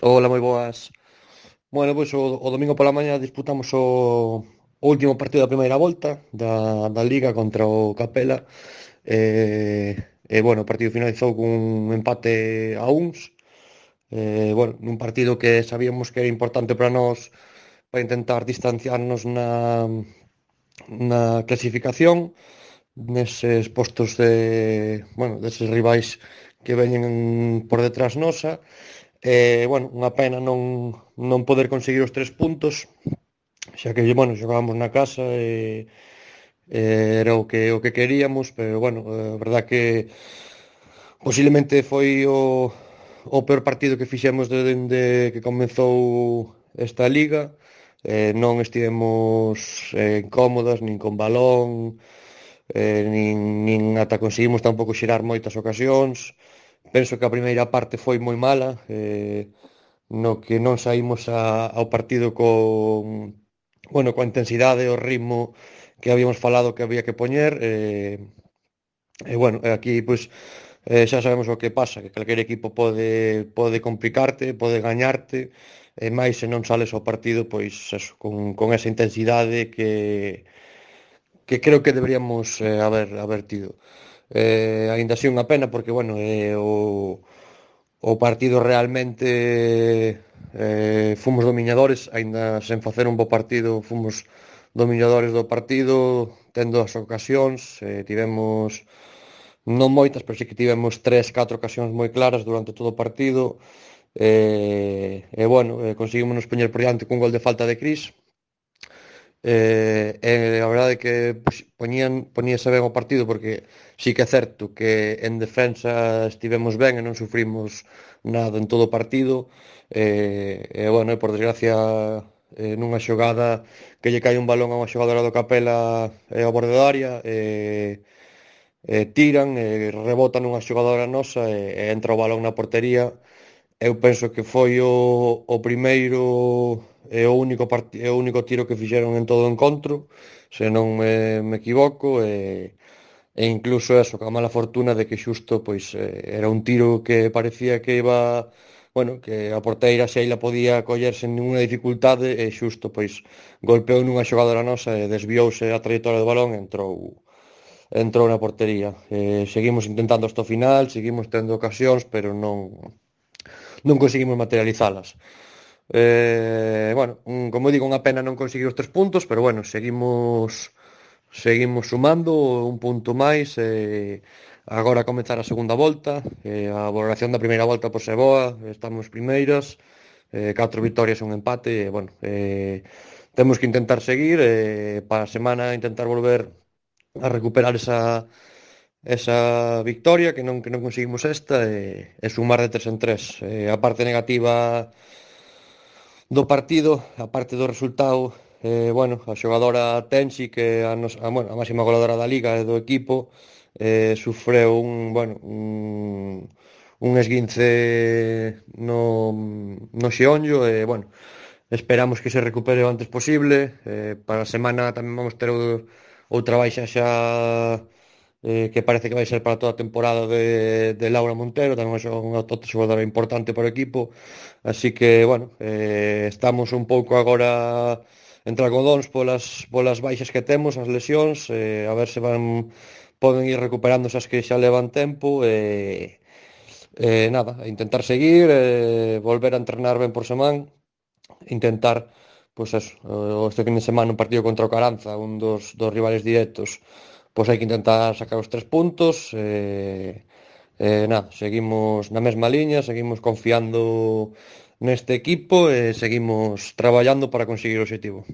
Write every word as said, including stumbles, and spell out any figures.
Hola, moi boas. Bueno, pois o, o domingo pola mañá disputamos o, o último partido da primeira volta da, da Liga contra o Capela. E, e bueno, o partido finalizou cun empate a uns. E, bueno, nun partido que sabíamos que era importante para nós para intentar distanciarnos na, na clasificación neses postos de, bueno, deses rivais que veñen por detrás nosa. E, bueno, unha pena non, non poder conseguir os tres puntos, xa que, bueno, xogábamos na casa e, e era o que, o que queríamos, pero, bueno, a verdad que posiblemente foi o, o peor partido que fixemos dende que comezou esta liga. Eh, non estivemos eh, cómodas, nin con balón, eh, nin, nin ata conseguimos tampouco xerar moitas ocasións. Penso que a primeira parte foi moi mala, eh, no que non saímos a, ao partido con, bueno, coa intensidade e o ritmo que habíamos falado que había que poñer. E, e bueno, aquí pois eh, xa sabemos o que pasa, que calquer equipo pode pode complicarte, pode gañarte, e máis se non sales ao partido pois eso, con, con esa intensidade que que creo que deberíamos eh, haber haber tido. Eh, aínda así unha pena porque, bueno, eh, o, o partido realmente eh, fomos dominadores, aínda sen facer un bo partido, fomos dominadores do partido, tendo as ocasións, eh, tivemos non moitas, pero sí que tivemos tres, catro ocasións moi claras durante todo o partido. E, e bueno, eh, conseguimos nos poñer por diante cun gol de falta de Cris. Eh, e a verdade é que pois, poñían, poñíase ben o partido porque sí que é certo que en defensa estivemos ben e non sufrimos nada en todo o partido. E, e bueno, e por desgracia eh, nunha xogada que lle cae un balón a unha xogadora do Capela e ao borde da área, e, e tiran e rebotan nunha xogadora nosa, e, e entra o balón na portería. Eu penso que foi o, o primeiro e o único part- e o único tiro que fixeron en todo o encontro, se non me, me equivoco, e, e incluso eso, ca mala fortuna de que xusto pois eh, era un tiro que parecía que iba, bueno, que a porteira Sheila podía coller sen ninguna dificultade, e xusto pois golpeou nunha xogadora nosa e desviouse a trayectoria do balón e entrou entrou na portería. Eh, seguimos intentando hasta o final, seguimos tendo ocasións, pero non non conseguimos materializalas. Eh, bueno, un, como digo, unha pena non conseguir os tres puntos, pero bueno, seguimos seguimos sumando un punto máis. E agora a comezar a segunda volta, e a valoración da primeira volta pois é boa, estamos primeiras, eh, catro vitorias e un empate. E, bueno, eh, temos que intentar seguir, eh, para a semana intentar volver a recuperar esa esa victoria que non que non conseguimos esta, e, e sumar de tres en tres. Eh, a parte negativa do partido, a parte do resultado, eh, bueno, a xogadora Tensi, que a, nos, a, bueno, a máxima goleadora da liga e do equipo, eh, sufreu un, bueno, un, un esguince no, no xeonllo. E, bueno, esperamos que se recupere o antes posible. Eh, para a semana tamén vamos ter o, outra baixa xa, eh, que parece que vai ser para toda a temporada de, de Laura Montero, tamén é unha outra xogadora importante para o equipo. Así que, bueno, eh, estamos un pouco agora entre algodóns polas, polas baixas que temos, as lesións, eh, a ver se van poden ir recuperando as que xa levan tempo. E, e nada, a intentar seguir, eh, volver a entrenar ben por semana, intentar, pois eso, o- este fin de semana un partido contra o Caranza, un dos, dos rivales directos, pois hai que intentar sacar os tres puntos. E, e nada, seguimos na mesma liña, seguimos confiando neste equipo e seguimos traballando para conseguir o obxectivo.